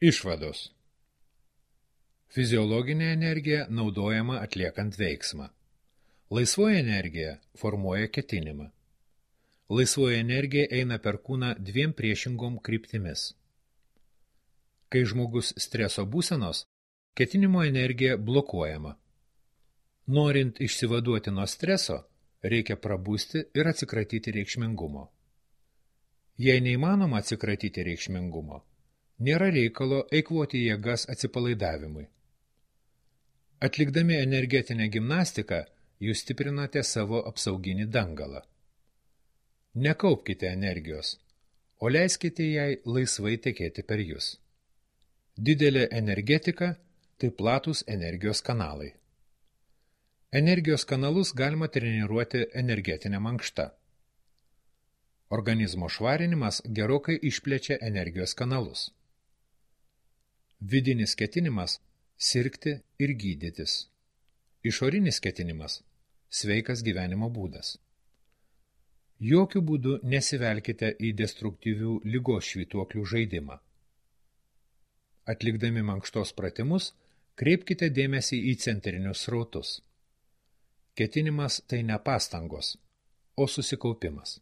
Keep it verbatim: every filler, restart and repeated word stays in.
Išvados. Fiziologinė energija naudojama atliekant veiksmą. Laisvoji energija formuoja ketinimą. Laisvoji energija eina per kūną dviem priešingom kryptimis. Kai žmogus streso būsenos, ketinimo energija blokuojama. Norint išsivaduoti nuo streso, reikia prabusti ir atsikratyti reikšmingumo. Jei neįmanoma atsikratyti reikšmingumo, nėra reikalo eikvoti jėgas atsipalaidavimui. Atlikdami energetinę gimnastiką, jūs stiprinate savo apsauginį dangalą. Nekaupkite energijos, o leiskite jai laisvai tekėti per jūs. Didelė energetika – tai platūs energijos kanalai. Energijos kanalus galima treniruoti energetinė mankšta. Organizmo švarinimas gerokai išplečia energijos kanalus. Vidinis ketinimas – sirgti ir gydytis. Išorinis ketinimas – sveikas gyvenimo būdas. Jokių būdų nesivelkite į destruktyvių ligos švytuoklių žaidimą. Atlikdami mankštos pratimus, kreipkite dėmesį į centrinius srautus. Ketinimas tai ne pastangos, o susikaupimas.